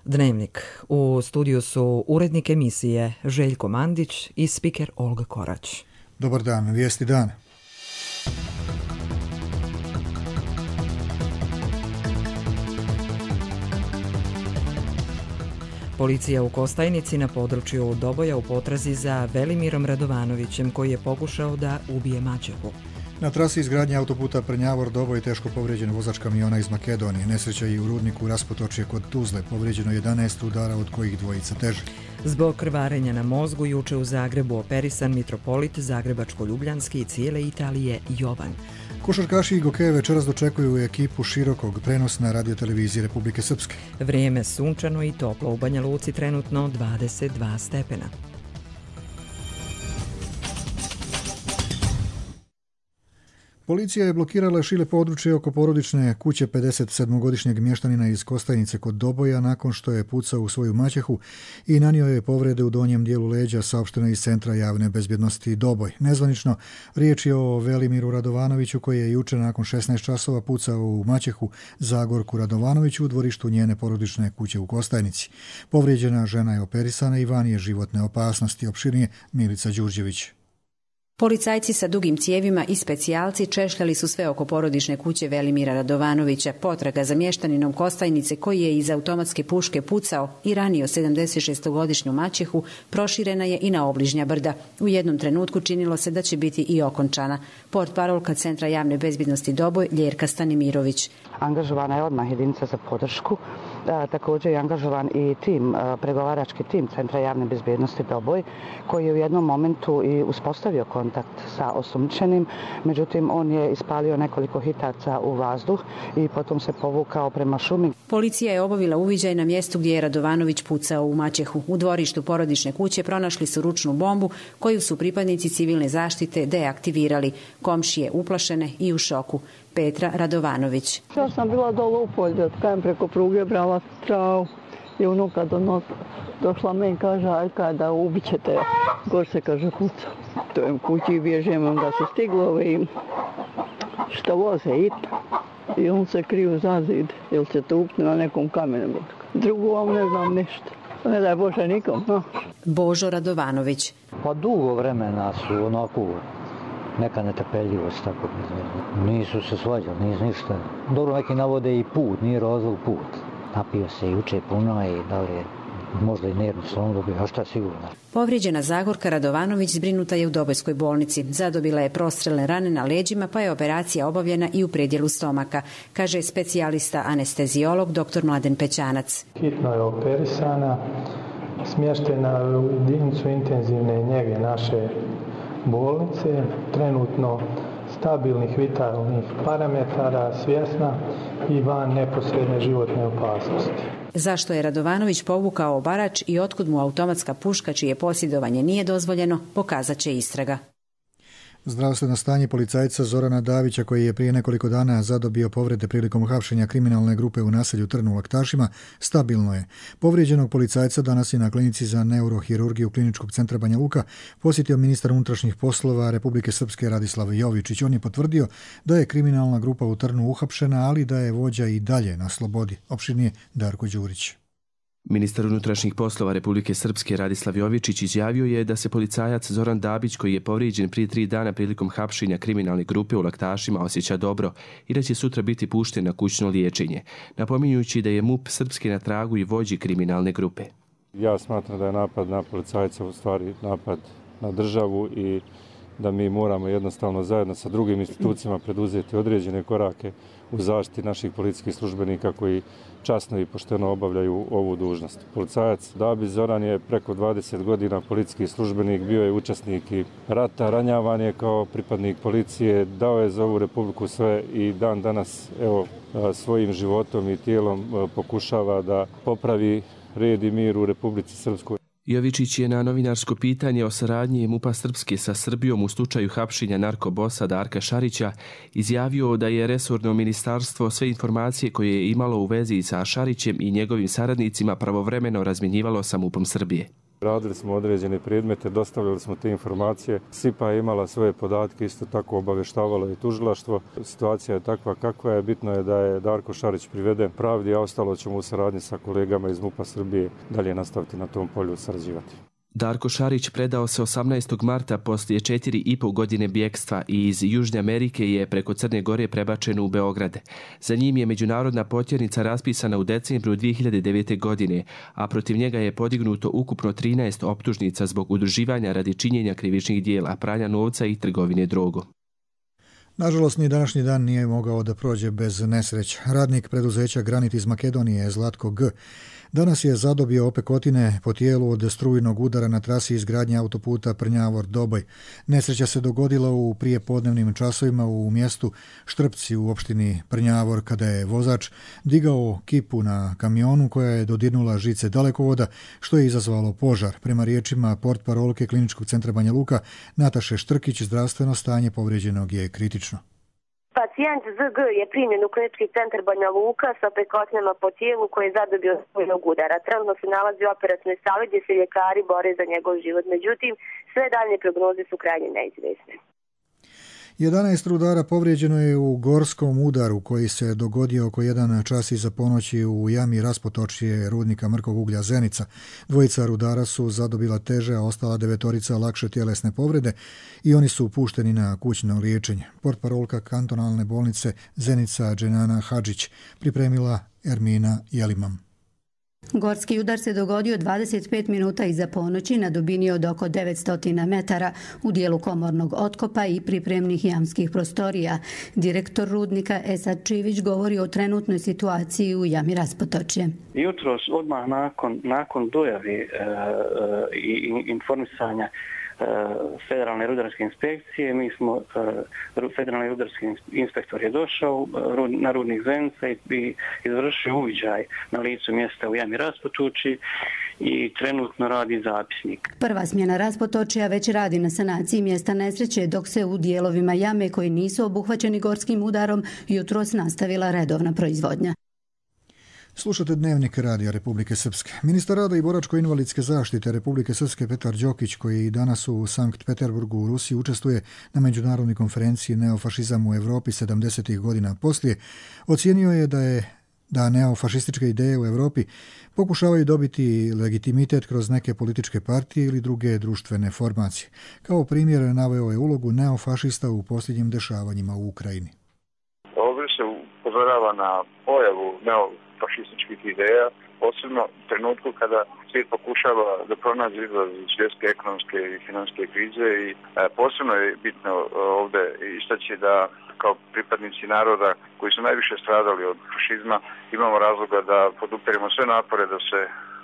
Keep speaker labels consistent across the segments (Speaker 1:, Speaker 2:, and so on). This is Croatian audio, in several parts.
Speaker 1: Dnevnik. U studiju su urednik emisije Željko Mandić i spiker Olga Korać.
Speaker 2: Dobar dan, vijesti dana.
Speaker 1: Policija u Kostajnici na području Doboja u potrazi za Velimirom Radovanovićem koji je pokušao da ubije maćehu.
Speaker 2: Na trasi izgradnje autoputa Prnjavor-Doboj teško povrijeđen vozač kamiona iz Makedonije. Nesreća i u rudniku Raspotočje kod Tuzle. Povrijeđeno 11 udara, od kojih dvojica teže.
Speaker 1: Zbog krvarenja na mozgu juče u Zagrebu operisan mitropolit Zagrebačko-Ljubljanski i cijele Italije Jovan.
Speaker 2: Košarkaši i gokeje večeras dočekuju ekipu Širokog, prenos na radioteleviziji Republike Srpske.
Speaker 1: Vrijeme sunčano i toplo, u Banja Luci trenutno 22 stepena.
Speaker 2: Policija je blokirala šire područje oko porodične kuće 57-godišnjeg mještanina iz Kostajnice kod Doboja nakon što je pucao u svoju maćehu i nanio je povrede u donjem dijelu leđa, saopšteno iz Centra javne bezbjednosti Doboj. Nezvanično, riječ je o Velimiru Radovanoviću koji je juče nakon 16 časova pucao u maćehu Zagorku Radovanoviću u dvorištu njene porodične kuće u Kostajnici. Povrijeđena žena je operisana i van je životne opasnosti. Opširnije Milica Đurđević.
Speaker 3: Policajci sa dugim cijevima i specijalci češljali su sve oko porodične kuće Velimira Radovanovića. Potraga za mještaninom Kostajnice koji je iz automatske puške pucao i ranio 76-godišnju maćehu proširena je i na obližnja brda. U jednom trenutku činilo se da će biti i okončana. Portparolka Centra javne bezbjednosti Doboj Ljerka Stanimirović.
Speaker 4: Angažovana je odmah jedinica za podršku. Također je angažovan i pregovarački tim Centra javne bezbjednosti Doboj koji je u jednom momentu i uspostavio kontakt sa osumnjičenim, međutim on je ispalio nekoliko hitaca u vazduh i potom se povukao prema šumi.
Speaker 3: Policija je obavila uviđaj na mjestu gdje je Radovanović pucao u maćehu. U dvorištu porodične kuće pronašli su ručnu bombu koju su pripadnici civilne zaštite deaktivirali. Komšije uplašene i u šoku. Petra Radovanović.
Speaker 5: Ja sam bila dole u polju, kajem preko pruge brala travu i unuka došla me i kaže, aj kada ubit ćete, gor se kaže kuca. To je u kući bježem, onda se stiglo i što voze i on se kriju za zid, jer će to upne na nekom kamenu. Drugu vam ne znam ništa. Ne daj Bože nikom, no.
Speaker 3: Božo Radovanović.
Speaker 6: Pa dugo vremena su onako neka netrpeljivost, tako nisu se svađali, nisu ništa. Dobro, neki navode i put, nije razlog put. Napio se juče puno i da li je možda i nervni slom dobio, a šta sigurno.
Speaker 3: Povrijeđena Zagorka Radovanović zbrinuta je u Dobojskoj bolnici. Zadobila je prostrelne rane na leđima, pa je operacija obavljena i u predjelu stomaka, kaže specijalista anesteziolog dr. Mladen Pećanac.
Speaker 7: Hitno je operisana, smještena u jedinicu intenzivne njege naše bolnice, trenutno stabilnih vitalnih parametara, svjesna i van neposredne životne opasnosti.
Speaker 3: Zašto je Radovanović povukao obarač i otkud mu automatska puška čije posjedovanje nije dozvoljeno, pokazat će istraga.
Speaker 2: Zdravstveno stanje policajca Zorana Davića koji je prije nekoliko dana zadobio povrede prilikom hapšenja kriminalne grupe u naselju Trn u Laktašima stabilno je. Povrijeđenog policajca danas je na klinici za neurohirurgiju Kliničkog centra Banja Luka posjetio ministar unutrašnjih poslova Republike Srpske Radislav Jovičić. On je potvrdio da je kriminalna grupa u Trnu uhapšena, ali da je vođa i dalje na slobodi. Opširnije Darko Đurić.
Speaker 8: Ministar unutrašnjih poslova Republike Srpske Radislav Jovičić izjavio je da se policajac Zoran Dabić, koji je povrijeđen prije 3 dana prilikom hapšenja kriminalne grupe u Laktašima, osjeća dobro i da će sutra biti pušten na kućno liječenje, napominjujući da je MUP Srpske na tragu i vođi kriminalne grupe.
Speaker 9: Ja smatram da je napad na policajca u stvari napad na državu i da mi moramo jednostavno zajedno sa drugim institucijama preduzeti određene korake u zaštiti naših policijskih službenika koji časno i pošteno obavljaju ovu dužnost. Policajac Dabić Zoran je preko 20 godina policijski službenik, bio je učesnik i rata, ranjavan je kao pripadnik policije, dao je za ovu Republiku sve i dan danas svojim životom i tijelom pokušava da popravi red i mir u Republici Srpskoj.
Speaker 8: Jovičić je na novinarsko pitanje o saradnji MUP-a Srpske sa Srbijom u slučaju hapšenja narkobosa Darka Šarića izjavio da je resorno ministarstvo sve informacije koje je imalo u vezi sa Šarićem i njegovim saradnicima pravovremeno razmjenjivalo sa MUP-om Srbije.
Speaker 9: Radili smo određene predmete, dostavljali smo te informacije. SIPA je imala svoje podatke, isto tako obavještavalo i tužilaštvo. Situacija je takva kakva je. Bitno je da je Darko Šarić priveden pravdi, a ostalo ćemo u saradnji sa kolegama iz MUP-a Srbije dalje nastaviti na tom polju sarađivati.
Speaker 8: Darko Šarić predao se 18. marta poslije 4,5 godine bjekstva i iz Južne Amerike je preko Crne Gore prebačen u Beograd. Za njim je međunarodna potjernica raspisana u decembru 2009. godine, a protiv njega je podignuto ukupno 13 optužnica zbog udruživanja radi činjenja krivičnih dijela, pranja novca i trgovine drogom.
Speaker 2: Nažalost, ni današnji dan nije mogao da prođe bez nesreća. Radnik preduzeća Granit iz Makedonije, Zlatko G., danas je zadobio opekotine po tijelu od strujnog udara na trasi izgradnje autoputa Prnjavor-Doboj. Nesreća se dogodila u prijepodnevnim časovima u mjestu Štrpci u opštini Prnjavor, kada je vozač digao kipu na kamionu koja je dodirnula žice dalekovoda, što je izazvalo požar. Prema riječima portparolke Kliničkog centra Banja Luka Nataše Štrkić, zdravstveno stanje povrijeđenog je kritično.
Speaker 10: Pacijent ZG je primljen u Klinički centar Banja Luka sa opekotnama po tijelu koji je zadobio strujnog udara. Trenutno se nalazi u operativnoj sali gdje se ljekari bore za njegov život. Međutim, sve daljnje prognoze su krajnje neizvjesne.
Speaker 2: 11 rudara povrijeđeno je u gorskom udaru koji se dogodio oko 1 čas iza ponoći u jami raspotočje rudnika mrkog uglja Zenica. Dvojica rudara su zadobila teže, a ostala 9 lakše tjelesne povrede i oni su pušteni na kućno liječenje. Portparolka kantonalne bolnice Zenica Dženana Hadžić pripremila Ermina Jelimam.
Speaker 11: Gorski udar se dogodio 25 minuta iza ponoći na dubini od oko 900 metara u dijelu komornog otkopa i pripremnih jamskih prostorija. Direktor rudnika Esad Čivić govori o trenutnoj situaciji u jami raspotočje.
Speaker 12: Jutros odmah nakon dojave i informisanja Federalne rudarske inspekcije, Federalni rudarski inspektor je došao na rudnik Zenica i izvršio uviđaj na licu mjesta u jami raspotočje i trenutno radi zapisnik.
Speaker 11: Prva smjena raspotočja već radi na sanaciji mjesta nesreće, dok se u dijelovima jame koji nisu obuhvaćeni gorskim udarom jutros nastavila redovna proizvodnja.
Speaker 2: Slušate Dnevnik Radija Republike Srpske. Ministar rada i boračko-invalidske zaštite Republike Srpske Petar Đokić, koji danas u Sankt Peterburgu u Rusiji učestvuje na međunarodnoj konferenciji Neofašizam u Europi 70. godina poslije, ocijenio je da neofašističke ideje u Europi pokušavaju dobiti legitimitet kroz neke političke partije ili druge društvene formacije. Kao primjer naveo je ulogu neofašista u posljednjim dešavanjima u Ukrajini.
Speaker 13: Ovdje se upozorava na pojavu neofašističkih ideja, posebno u trenutku kada svijet pokušava da pronađe izlaz iz svjetske ekonomske i financijske krize i posebno je bitno ovdje istaći da kao pripadnici naroda koji su najviše stradali od fašizma imamo razloga da podupiremo sve napore da se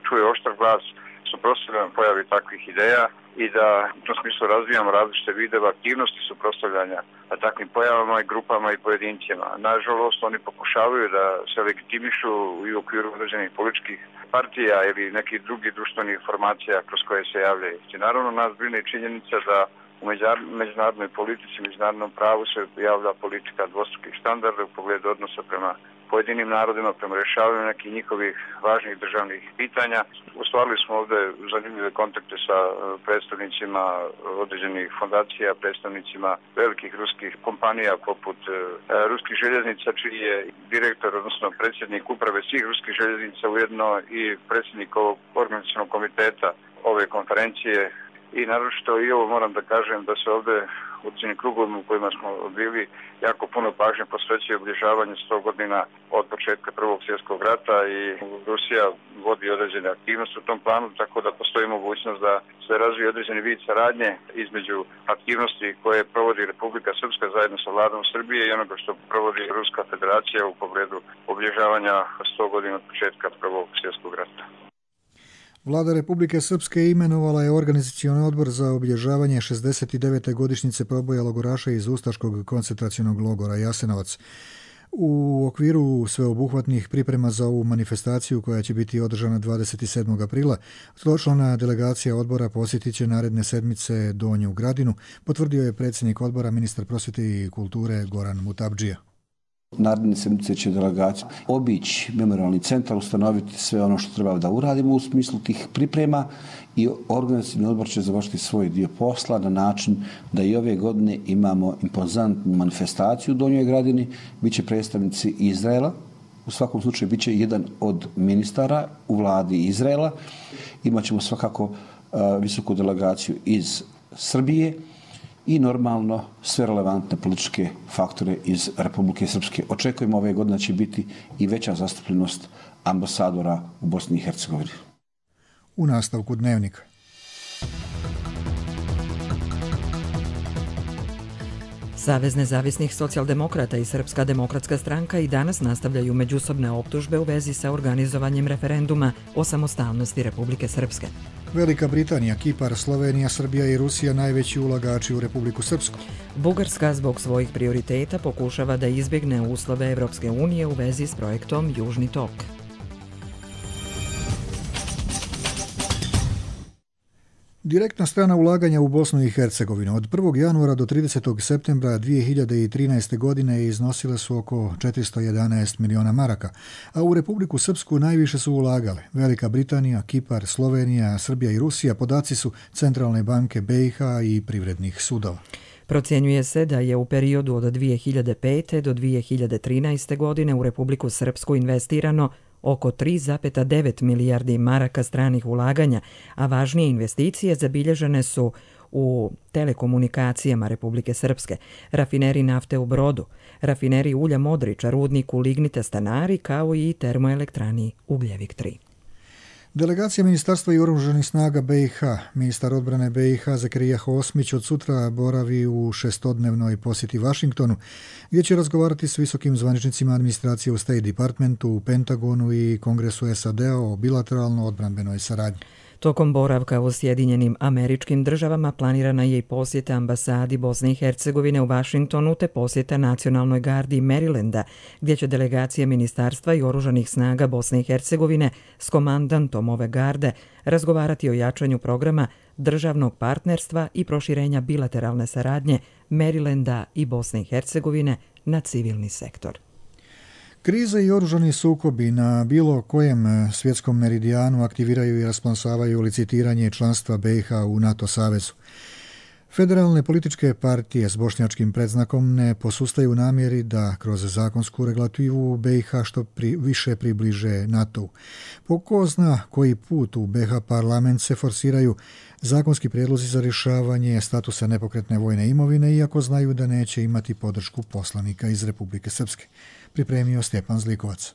Speaker 13: čuje oštar glas suprotstavljanja pojavi takvih ideja i da u tom smislu razvijamo različite videve aktivnosti suprotstavljanja takvim pojavama i grupama i pojedincima. Nažalost, oni pokušavaju da se legitimišu i u okviru određenih političkih partija ili nekih drugih društvenih formacija kroz koje se javljaju. Naravno, nas brine činjenica da u međunarodnoj politici, međunarodnom pravu se javlja politika dvostrukih standarda u pogledu odnosa prema pojedinim narodima, prema rješavanju nekih njihovih važnih državnih pitanja. Ostvarili smo ovdje zanimljive kontakte sa predstavnicima određenih fondacija, predstavnicima velikih ruskih kompanija poput ruskih željeznica, čiji je direktor, odnosno predsjednik uprave svih ruskih željeznica, ujedno i predsjednik ovog organizacionog komiteta ove konferencije. I naročito i ovo moram da kažem da se ovdje u određenim krugovima u kojima smo bili jako puno pažnje posvećuje obilježavanju 100 godina od početka Prvog svjetskog rata i Rusija vodi određene aktivnosti u tom planu, tako da postoji mogućnost da se razvije određeni vid saradnje između aktivnosti koje provodi Republika Srpska zajedno sa vladom Srbije i onoga što provodi Ruska federacija u pogledu obilježavanja 100 godina od početka Prvog svjetskog rata.
Speaker 2: Vlada Republike Srpske imenovala je organizacioni odbor za obilježavanje 69. godišnjice proboja logoraša iz ustaškog koncentracionog logora Jasenovac. U okviru sveobuhvatnih priprema za ovu manifestaciju koja će biti održana 27. aprila, člana delegacija odbora posjetit će naredne sedmice Donju Gradinu, potvrdio je predsjednik odbora, ministar prosvjete i kulture Goran Mutabdžija.
Speaker 14: Naredne sedmice će delegacija obići memorialni centar, ustanoviti sve ono što treba da uradimo u smislu tih priprema i organizacijni odbor će završiti svoj dio posla na način da i ove godine imamo impozantnu manifestaciju u Donjoj Gradini, bit će predstavnici Izraela, u svakom slučaju bit će jedan od ministara u vladi Izraela, imat ćemo svakako visoku delegaciju iz Srbije i normalno sve relevantne političke faktore iz Republike Srpske. Očekujemo ove godine da će biti i veća zastupljenost ambasadora u Bosni i Hercegovini.
Speaker 2: U nastavku Dnevnika.
Speaker 1: Savez nezavisnih socijaldemokrata i Srpska demokratska stranka i danas nastavljaju međusobne optužbe u vezi sa organizovanjem referenduma o samostalnosti Republike Srpske.
Speaker 2: Velika Britanija, Kipar, Slovenija, Srbija i Rusija najveći ulagači u Republiku Srpsku.
Speaker 1: Bugarska zbog svojih prioriteta pokušava da izbjegne uslove Evropske unije u vezi s projektom Južni tok.
Speaker 2: Direktna strana ulaganja u Bosnu i Hercegovinu od 1. januara do 30. septembra 2013. godine iznosile su oko 411 miliona maraka, a u Republiku Srpsku najviše su ulagale Velika Britanija, Kipar, Slovenija, Srbija i Rusija. Podaci su Centralne banke BiH i privrednih sudova.
Speaker 1: Procjenjuje se da je u periodu od 2005. do 2013. godine u Republiku Srpsku investirano oko 3,9 milijardi maraka stranih ulaganja, a važnije investicije zabilježene su u telekomunikacijama Republike Srpske, rafineri nafte u Brodu, rafineri ulja Modriča, rudniku lignita Stanari, kao i termoelektrani Ugljevik 3.
Speaker 2: Delegacija Ministarstva i oružanih snaga BiH, ministar odbrane BiH Zakirija Hosmić od sutra boravi u šestodnevnoj posjeti Vašingtonu, gdje će razgovarati s visokim zvaničnicima administracije u State Departmentu, u Pentagonu i Kongresu SAD-a o bilateralno odbranbenoj saradnji.
Speaker 1: Tokom boravka u Sjedinjenim Američkim Državama planirana je i posjeta ambasadi Bosne i Hercegovine u Vašingtonu te posjeta Nacionalnoj gardi Marylanda, gdje će delegacija Ministarstva i oružanih snaga Bosne i Hercegovine s komandantom ove garde razgovarati o jačanju programa državnog partnerstva i proširenja bilateralne saradnje Marylanda i Bosne i Hercegovine na civilni sektor.
Speaker 2: Krize i oružani sukobi na bilo kojem svjetskom meridijanu aktiviraju i rasplamsavaju licitiranje članstva BiH u NATO savezu. Federalne političke partije s bošnjačkim predznakom ne posustaju namjeri da kroz zakonsku regulativu BiH što više približe NATO-u. Po ko zna koji put u BiH parlament se forsiraju zakonski prijedlozi za rješavanje statusa nepokretne vojne imovine, iako znaju da neće imati podršku poslanika iz Republike Srpske. Pripremio Stjepan Zlikovac.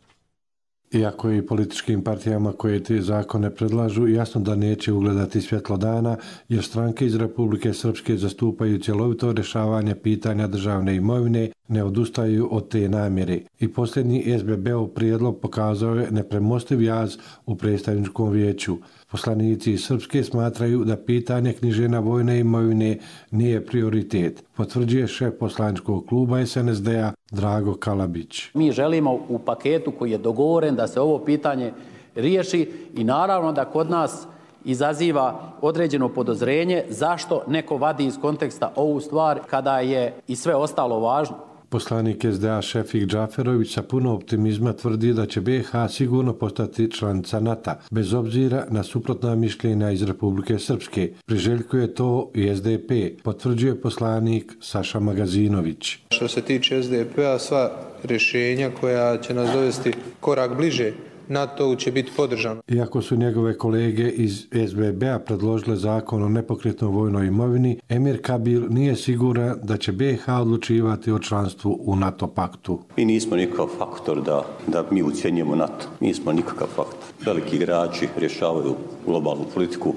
Speaker 15: Iako i političkim partijama koje te zakone predlažu, jasno da neće ugledati svjetlo dana, jer stranke iz Republike Srpske zastupaju cjelovito rješavanje pitanja državne imovine, ne odustaju od te namjere. I posljednji SBB-ov prijedlog pokazao je nepremostiv jaz u predstavničkom vijeću. Poslanici iz Srpske smatraju da pitanje knjiženja vojne imovine nije prioritet, potvrđuje šef poslaničkog kluba SNSD-a Drago Kalabić.
Speaker 16: Mi želimo u paketu koji je dogovoren da se ovo pitanje riješi i naravno da kod nas izaziva određeno podozrenje zašto neko vadi iz konteksta ovu stvar kada je i sve ostalo važno.
Speaker 15: Poslanik SDA Šefik Džaferović sa puno optimizma tvrdi da će BiH sigurno postati članica NATO, bez obzira na suprotna mišljenja iz Republike Srpske. Priželjkuje to i SDP, potvrđuje poslanik Saša Magazinović.
Speaker 17: Što se tiče SDP-a, sva rješenja koja će nas dovesti korak bliže NATO će biti podržano.
Speaker 15: Iako su njegove kolege iz SBB-a predložile zakon o nepokretnoj vojnoj imovini, Emir Kabil nije siguran da će BiH odlučivati o članstvu u NATO paktu.
Speaker 18: Mi nismo nikakav faktor da mi ucjenjujemo NATO. Mi nismo nikakav faktor. Veliki igrači rješavaju globalnu politiku.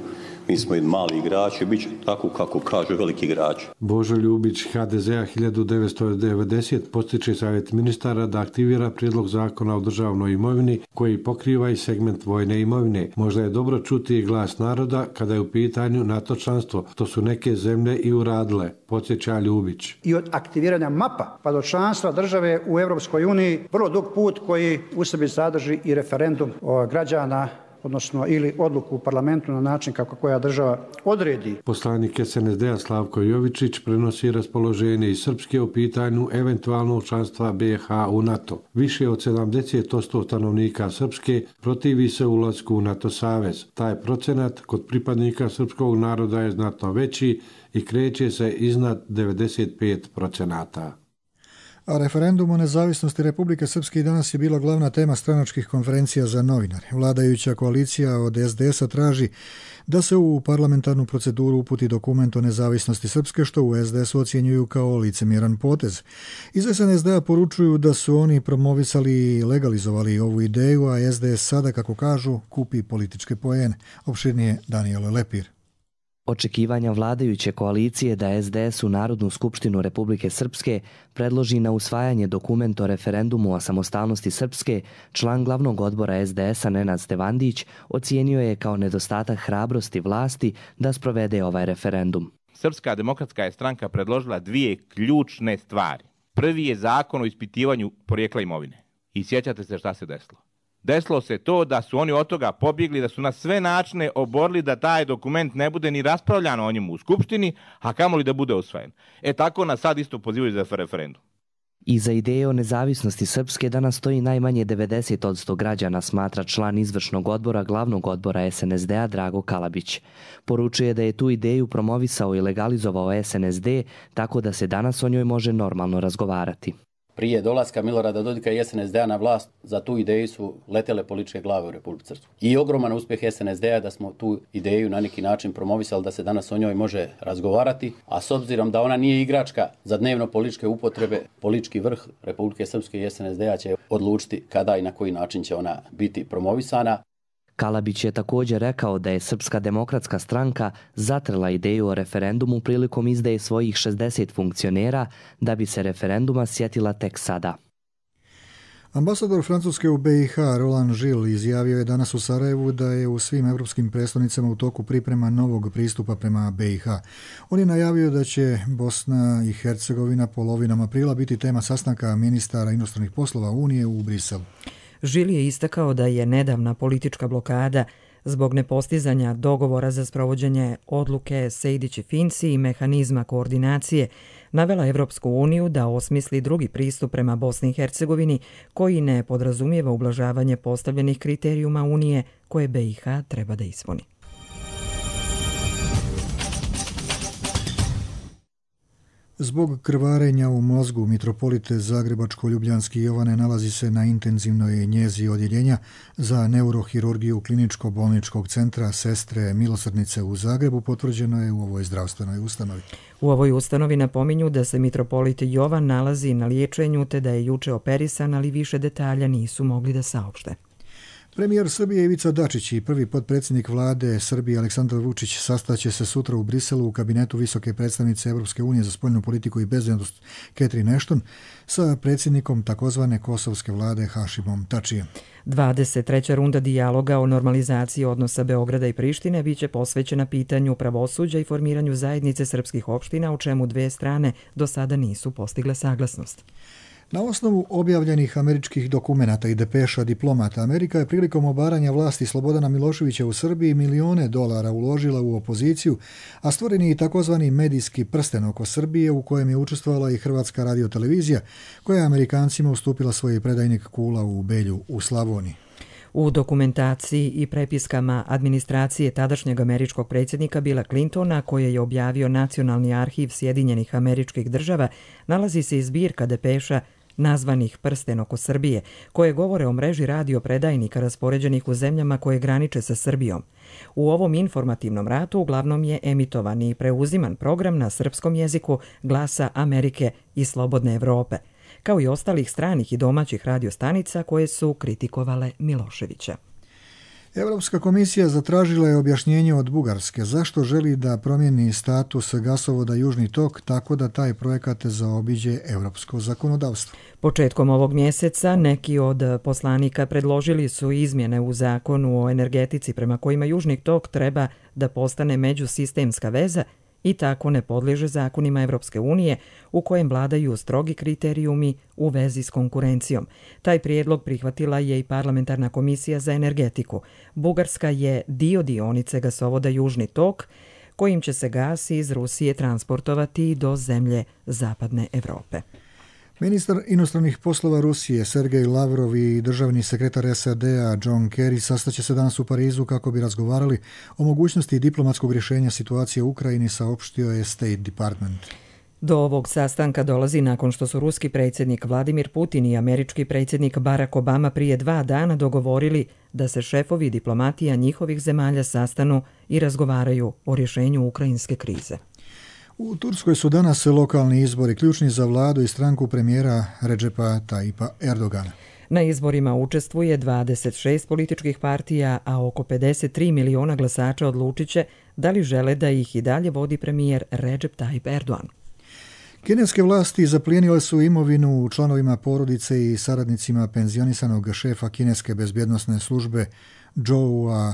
Speaker 18: Mi smo i mali igrači, bit će tako kako kažu veliki igrači.
Speaker 15: Božo Ljubić, HDZ-a 1990, postiče savjet ministara da aktivira prijedlog zakona o državnoj imovini koji pokriva i segment vojne imovine. Možda je dobro čuti i glas naroda kada je u pitanju NATO članstvo. To su neke zemlje i uradile, podsjeća Ljubić.
Speaker 19: I od aktiviranja mapa pa do članstva države u Europskoj uniji vrlo dug put koji u sebi sadrži i referendum građana odnosno ili odluku u parlamentu na način kako koja država odredi.
Speaker 15: Poslanik SNSD-a Slavko Jovičić prenosi raspoloženje iz Srpske u pitanju eventualnog članstva BiH u NATO. Više od 70% stanovnika Srpske protivi se ulasku u NATO savez. Taj procenat kod pripadnika srpskog naroda je znatno veći i kreće se iznad 95%.
Speaker 2: A referendum o nezavisnosti Republike Srpske i danas je bila glavna tema stranačkih konferencija za novinare. Vladajuća koalicija od SDS-a traži da se u parlamentarnu proceduru uputi dokument o nezavisnosti Srpske, što u SDS-u ocjenjuju kao licemjeran potez. Iz SNSD-a poručuju da su oni promovisali i legalizovali ovu ideju, a SDS sada, kako kažu, kupi političke poene. Opširnije Danijelo Lepir.
Speaker 20: Očekivanja vladajuće koalicije da SDS u Narodnu skupštinu Republike Srpske predloži na usvajanje dokument o referendumu o samostalnosti Srpske, član glavnog odbora SDS-a Nenad Stevandić ocijenio je kao nedostatak hrabrosti vlasti da sprovede ovaj referendum.
Speaker 21: Srpska demokratska je stranka predložila dvije ključne stvari. Prvi je zakon o ispitivanju porijekla imovine. I sjećate se šta se desilo. Desilo se to da su oni od toga pobjegli, da su na sve načine oborili da taj dokument ne bude ni raspravljano o njemu u Skupštini, a kamoli da bude usvojen. Tako nas sad isto pozivaju za referendum.
Speaker 20: Iza ideje o nezavisnosti Srpske danas stoji najmanje 90% građana, smatra član izvršnog odbora glavnog odbora SNSD-a Drago Kalabić. Poručuje da je tu ideju promovisao i legalizovao SNSD, tako da se danas o njoj može normalno razgovarati.
Speaker 16: Prije dolaska Milorada Dodika i SNSD-a na vlast, za tu ideju su letele političke glave u Republici Srpskoj. I ogroman uspjeh SNSD-a da smo tu ideju na neki način promovisali, da se danas o njoj može razgovarati, a s obzirom da ona nije igračka za dnevno političke upotrebe, politički vrh Republike Srpske i SNSD-a će odlučiti kada i na koji način će ona biti promovisana.
Speaker 20: Kalabić je također rekao da je Srpska demokratska stranka zatrla ideju o referendumu prilikom izdaje svojih 60 funkcionera, da bi se referenduma sjetila tek sada.
Speaker 2: Ambasador Francuske u BiH Roland Gilles izjavio je danas u Sarajevu da je u svim evropskim prestolnicama u toku priprema novog pristupa prema BiH. On je najavio da će Bosna i Hercegovina polovinom aprila biti tema sastanka ministara inostranih poslova Unije u Briselu.
Speaker 1: Žil je istakao da je nedavna politička blokada zbog nepostizanja dogovora za sprovođenje odluke Sejdić-Finci i mehanizma koordinacije navela Evropsku uniju da osmisli drugi pristup prema Bosni i Hercegovini koji ne podrazumijeva ublažavanje postavljenih kriterijuma Unije koje BiH treba da ispuni.
Speaker 2: Zbog krvarenja u mozgu mitropolite Zagrebačko-Ljubljanski Jovane nalazi se na intenzivnoj njezi odjeljenja za neurohirurgiju Kliničko-bolničkog centra Sestre Milosrdnice u Zagrebu, potvrđeno je u ovoj zdravstvenoj ustanovi.
Speaker 1: U ovoj ustanovi napominju da se mitropolit Jovan nalazi na liječenju te da je juče operisan, ali više detalja nisu mogli da saopšte.
Speaker 2: Premijer Srbije Ivica Dačić i prvi potpredsjednik vlade Srbije Aleksandar Vučić sastaće se sutra u Briselu u kabinetu visoke predstavnice Evropske unije za spoljnu politiku i bezbednost Catherine Ashton sa predsjednikom takozvane kosovske vlade Hašimom Tačijem.
Speaker 1: 23. runda dijaloga o normalizaciji odnosa Beograda i Prištine biće posvećena pitanju pravosuđa i formiranju zajednice srpskih opština, u čemu dve strane do sada nisu postigle saglasnost.
Speaker 2: Na osnovu objavljenih američkih dokumenata i depeša diplomata, Amerika je prilikom obaranja vlasti Slobodana Miloševića u Srbiji milione dolara uložila u opoziciju, a stvoren je i takozvani medijski prsten oko Srbije u kojem je učestvovala i Hrvatska radiotelevizija, koja je Amerikancima ustupila svoj predajnik kula u Belju u Slavoniji.
Speaker 1: U dokumentaciji i prepiskama administracije tadašnjeg američkog predsjednika Billa Clintona, koje je objavio Nacionalni arhiv Sjedinjenih Američkih Država, nalazi se i zbirka depeša nazvanih Prsten oko Srbije, koje govore o mreži radiopredajnika raspoređenih u zemljama koje graniče sa Srbijom. U ovom informativnom ratu uglavnom je emitovan i preuziman program na srpskom jeziku Glasa Amerike i Slobodne Evrope, kao i ostalih stranih i domaćih radiostanica koje su kritikovale Miloševića.
Speaker 2: Europska komisija zatražila je objašnjenje od Bugarske zašto želi da promijeni status gasovoda Južni tok tako da taj projekat zaobiđe europsko zakonodavstvo.
Speaker 1: Početkom ovog mjeseca neki od poslanika predložili su izmjene u zakonu o energetici prema kojima Južni tok treba da postane međusistemska veza i tako ne podliježe zakonima Evropske unije u kojem vladaju strogi kriterijumi u vezi s konkurencijom. Taj prijedlog prihvatila je i Parlamentarna komisija za energetiku. Bugarska je dio dionice gasovoda Južni tok, kojim će se gas iz Rusije transportovati do zemlje Zapadne Evrope.
Speaker 2: Ministar inostranih poslova Rusije Sergej Lavrov i državni sekretar SAD-a John Kerry sastaće se danas u Parizu kako bi razgovarali o mogućnosti diplomatskog rješenja situacije u Ukrajini, saopštio je State Department.
Speaker 1: Do ovog sastanka dolazi nakon što su ruski predsjednik Vladimir Putin i američki predsjednik Barack Obama prije 2 dana dogovorili da se šefovi diplomatija njihovih zemalja sastanu i razgovaraju o rješenju ukrajinske krize.
Speaker 2: U Turskoj su danas lokalni izbori ključni za vladu i stranku premijera Recepa Tayyipa Erdogana.
Speaker 1: Na izborima učestvuje 26 političkih partija, a oko 53 miliona glasača odlučit će da li žele da ih i dalje vodi premijer Recep Tayyip Erdogan.
Speaker 2: Kineske vlasti zaplijenile su imovinu članovima porodice i saradnicima penzionisanog šefa kineske bezbjednosne službe Zhoua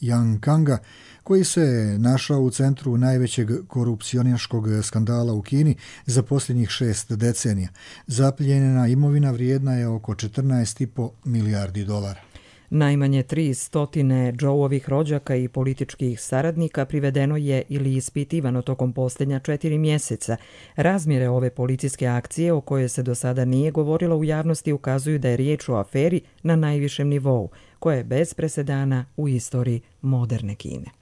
Speaker 2: Yankanga, koji se našao u centru najvećeg korupcionaškog skandala u Kini za posljednjih 6 decenija. Zaplijenjena imovina vrijedna je oko 14,5 milijardi dolara.
Speaker 1: Najmanje 300 Zhouovih rođaka i političkih saradnika privedeno je ili ispitivano tokom posljednja 4 mjeseca. Razmjere ove policijske akcije, o kojoj se do sada nije govorilo u javnosti, ukazuju da je riječ o aferi na najvišem nivou, koja je bez presedana u istoriji moderne Kine.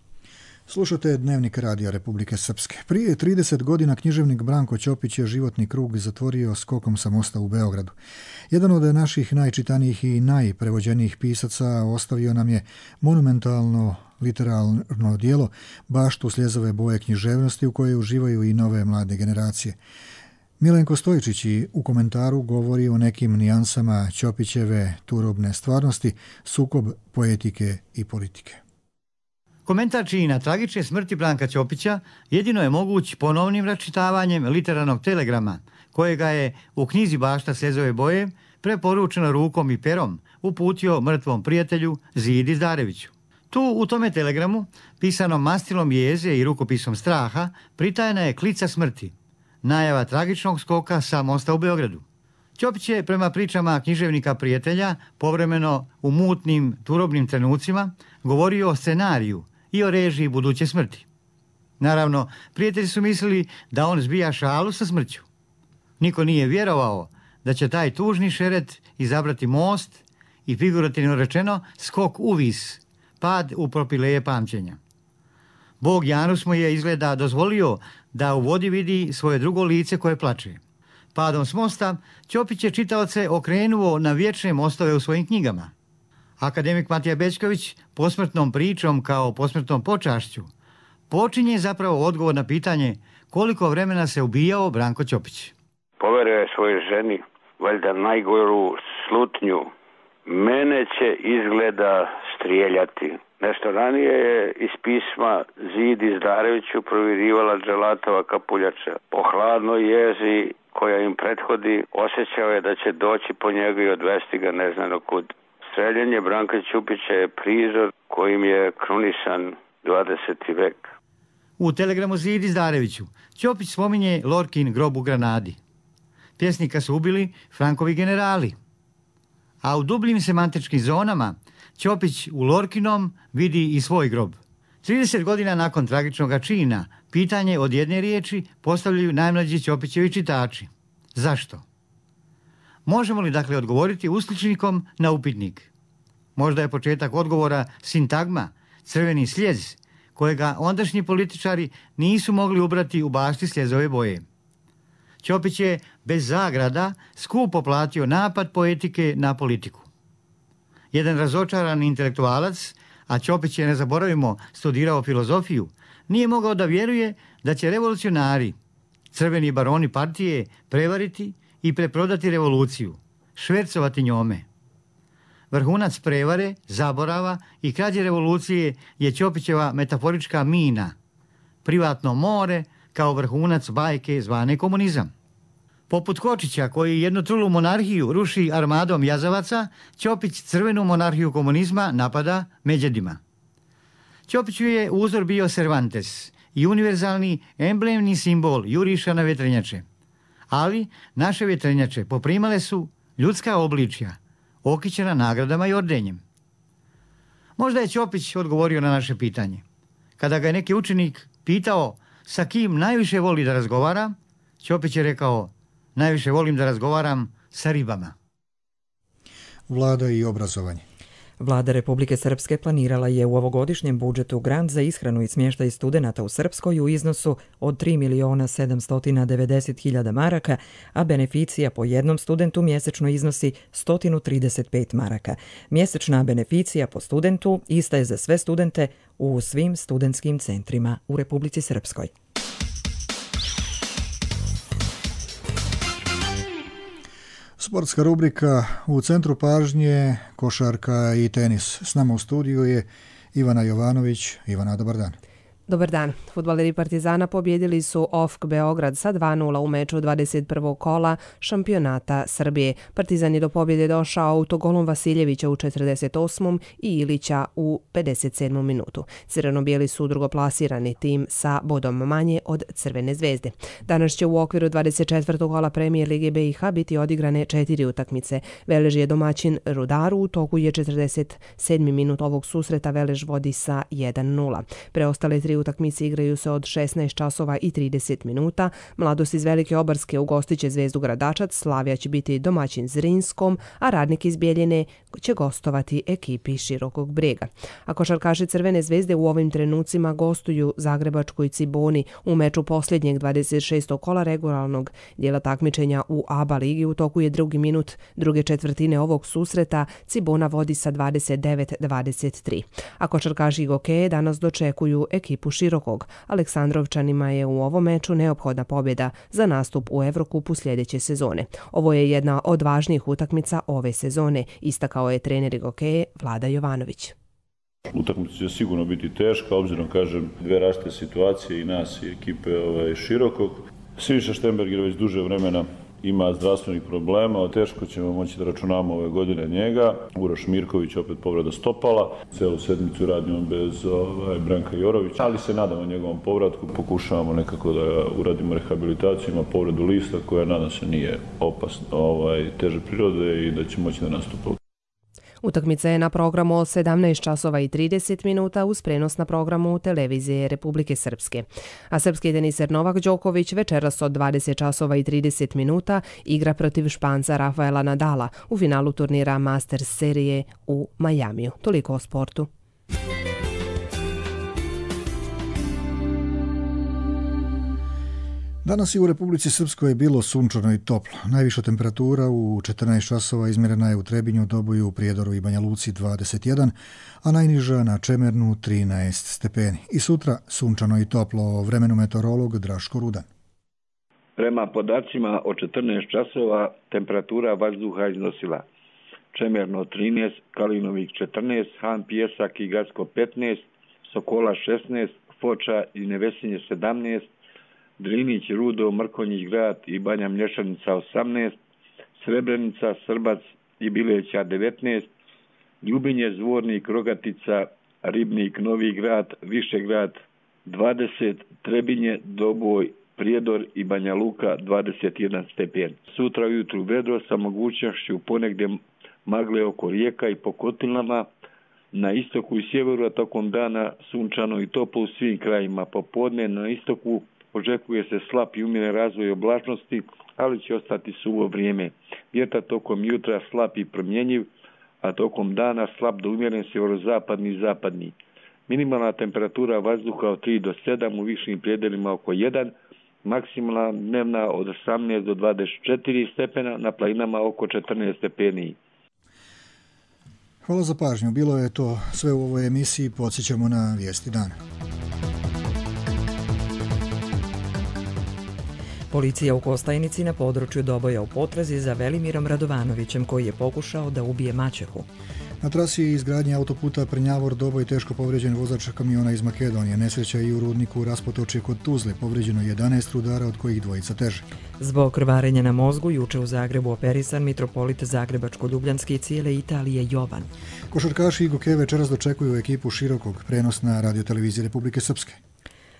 Speaker 2: Slušate Dnevnik Radija Republike Srpske. Prije 30 godina književnik Branko Ćopić je životni krug zatvorio skokom sa mosta u Beogradu. Jedan od naših najčitanijih i najprevođenijih pisaca ostavio nam je monumentalno literarno djelo Baštu sljezove boje književnosti u kojoj uživaju i nove mlade generacije. Milenko Stojičić u komentaru govori o nekim nijansama Ćopićeve turobne stvarnosti, sukob poetike i politike.
Speaker 4: Komentar čina tragične smrti Branka Ćopića jedino je moguć ponovnim račitavanjem literarnog telegrama, kojega je u knjizi Bašta sljezove boje preporučeno rukom i perom uputio mrtvom prijatelju Zidi Zdareviću. Tu u tome telegramu, pisanom mastilom jeze i rukopisom straha, pritajena je klica smrti, najava tragičnog skoka sa mosta u Beogradu. Ćopić je, prema pričama književnika prijatelja, povremeno u mutnim, turobnim trenucima govorio o scenariju i o režiji buduće smrti. Naravno, prijatelji su mislili da on zbija šalu sa smrću. Niko nije vjerovao da će taj tužni šeret izabrati most i, figurativno rečeno, skok u vis, pad u propileje pamćenja. Bog Janus mu je izgleda dozvolio da u vodi vidi svoje drugo lice koje plače. Padom s mosta, Ćopić je čitaoce okrenuo na vječne mostove u svojim knjigama. Akademik Matija Bećković posmrtnom pričom kao posmrtnom počašću počinje zapravo odgovor na pitanje koliko vremena se ubijao Branko Ćopić.
Speaker 22: Poverio je svojoj ženi, valjda najgoru slutnju. Mene će izgleda strijeljati. Nešto ranije je iz pisma Zidi Zdareviću provirivala Dželatova kapuljača. Po hladnoj jezi koja im prethodi osjećao je da će doći po njega i odvesti ga ne znano kud. Streljenje Branka Ćopića je prizor kojim je krunisan 20. vek.
Speaker 4: U telegramu Zidi Zdareviću Ćopić spominje Lorkin grob u Granadi. Pjesnika su ubili Frankovi generali. A u dubljim semantičkim zonama Ćopić u Lorkinom vidi i svoj grob. 30 godina nakon tragičnog čina pitanje od jedne riječi postavljaju najmlađi Ćopićevi čitači. Zašto? Možemo li dakle odgovoriti uskličnikom na upitnik? Možda je početak odgovora sintagma, crveni sljez, kojega ondašnji političari nisu mogli ubrati u Bašti sljezove boje. Ćopić je bez zagrada skupo platio napad poetike na politiku. Jedan razočaran intelektualac, a Ćopić je, ne zaboravimo, studirao filozofiju, nije mogao da vjeruje da će revolucionari, crveni baroni partije, prevariti i preprodati revoluciju, švercovati njome. Vrhunac prevare, zaborava i krađe revolucije je Ćopićeva metaforička mina, privatno more kao vrhunac bajke zvane komunizam. Poput Kočića, koji jednu trulu monarhiju ruši armadom jazavaca, Ćopić crvenu monarhiju komunizma napada međedima. Ćopiću je uzor bio Cervantes i univerzalni emblemni simbol juriša na vjetrenjače. Ali naše vjetrenjače poprimale su ljudska obličja, okićena nagradama i ordenjem. Možda je Ćopić odgovorio na naše pitanje. Kada ga je neki učenik pitao sa kim najviše voli da razgovara, Ćopić je rekao: najviše volim da razgovaram sa ribama.
Speaker 2: Vlada i obrazovanje.
Speaker 1: Vlada Republike Srpske planirala je u ovogodišnjem budžetu grant za ishranu i smještaj studenata u Srpskoj u iznosu od 3.790.000 maraka, a beneficija po jednom studentu mjesečno iznosi 135 maraka. Mjesečna beneficija po studentu ista je za sve studente u svim studentskim centrima u Republici Srpskoj.
Speaker 2: Sportska rubrika u centru pažnje, košarka i tenis. S nama u studiju je Ivana Jovanović. Ivana, dobar dan.
Speaker 5: Dobar dan. Fudbaleri Partizana pobjedili su OFK Beograd sa 2:0 u meču 21. kola šampionata Srbije. Partizan je do pobjede došao autogolom Vasiljevića u 48. i Ilića u 57. minutu. Crveno-bijeli su drugoplasirani tim sa bodom manje od Crvene zvezde. Danas će u okviru 24. kola Premijer Lige BiH biti odigrane 4 utakmice. Velež je domaćin Rudaru, u toku je 47. minut ovog susreta, Velež vodi sa 1:0. Preostale 3 utakmice igraju se od 16 časova i 30 minuta. Mladost iz Velike Obarske ugostit će Zvezdu Gradačac, Slavija će biti domaćin Zrinskom, a Radnik iz Bijeljine će gostovati ekipi Širokog Brega. A košarkaši Crvene zvezde u ovim trenucima gostuju Zagrebačkoj Ciboni u meču posljednjeg 26. kola regularnog dijela takmičenja u ABA ligi. U toku je drugi minut druge četvrtine ovog susreta, Cibona vodi sa 29-23. A košarkaši Gokeje danas dočekuju ekipu Širokog. Aleksandrovčanima je u ovom meču neophodna pobjeda za nastup u Evrokupu sljedeće sezone. Ovo je jedna od važnijih utakmica ove sezone, istakao je trener Gokeje Vlada Jovanović.
Speaker 6: Utakmica će sigurno biti teška, obzirom, kažem, dve različite situacije i nas i ekipe Širokog. Siniša Štemberger već duže vremena ima zdravstvenih problema, teško ćemo moći da računamo ove godine njega. Uroš Mirković opet povreda stopala, celu sedmicu radimo bez Branka Jorovića, ali se nadamo njegovom povratku, pokušavamo nekako da uradimo rehabilitaciju, ima povredu lista koja nadam se nije opasna, teže prirode i da će moći da nastupa.
Speaker 5: Utakmica je na programu od 17 časova i 30 minuta uz prenos na programu televizije Republike Srpske. A srpski teniser Novak Đoković večeras od 20 časova i 30 minuta igra protiv Španca Rafaela Nadala u finalu turnira Masters serije u Majamiju. Toliko o sportu.
Speaker 2: Danas je u Republici Srpskoj bilo sunčano i toplo. Najviša temperatura u 14 časova izmjerena je u Trebinju, Doboju, u Prijedoru i Banja Luci 21, a najniža na Čemernu 13 stepeni. I sutra sunčano i toplo, o vremenu meteorolog Draško Rudan.
Speaker 23: Prema podacima od 14 časova temperatura vazduha iznosila Čemerno 13, Kalinovik 14, Han Pijesak i Gacko 15, Sokola 16, Foča i Nevesinje 17, Drinić, Rudo, Mrkonjić grad i Banja Mlješanica 18, Srebrenica, Srbac i Bileća 19, Ljubinje, Zvornik, Rogatica, Ribnik, Novi grad, Višegrad 20, Trebinje, Doboj, Prijedor i Banja Luka 21 stepen. Sutra ujutru vedro sa mogućnošću ponegdje magle oko rijeka i po kotlinama, na istoku i sjeveru, a tokom dana sunčano i toplo u svim krajima. Popodne na istoku očekuje se slab i umjeren razvoj oblačnosti, ali će ostati suvo vrijeme. Vjetar tokom jutra slab i promjenjiv, a tokom dana slab do umjeren sjeverozapadni i zapadni. Minimalna temperatura vazduha od 3 do 7, u višim predelima oko 1, maksimalna dnevna od 18 do 24 stepena, na planinama oko 14 stepeni.
Speaker 2: Hvala za pažnju. Bilo je to sve u ovoj emisiji. Podsjećamo na vijesti dana.
Speaker 1: Policija u Kostajnici na području Doboja u potrazi za Velimirom Radovanovićem koji je pokušao da ubije maćehu.
Speaker 2: Na trasi izgradnje autoputa Prnjavor-Doboj teško povrijeđen vozač kamiona iz Makedonije. Nesreća i u rudniku Raspotočje kod Tuzle. Povrijeđeno 11 rudara, od kojih dvojica teže.
Speaker 1: Zbog krvarenja na mozgu juče u Zagrebu operisan mitropolit Zagrebačko-Ljubljanske i cijele Italije Jovan.
Speaker 2: Košarkaši Gokeje večeras dočekuju ekipu Širokog, prenos na radioteleviziji Republike Srpske.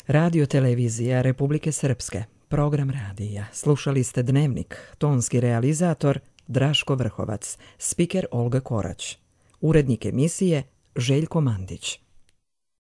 Speaker 1: Radio televizija Republike Srpske, program radija. Slušali ste Dnevnik, tonski realizator Draško Vrhovac, spiker Olga Korać, urednik emisije Željko Mandić.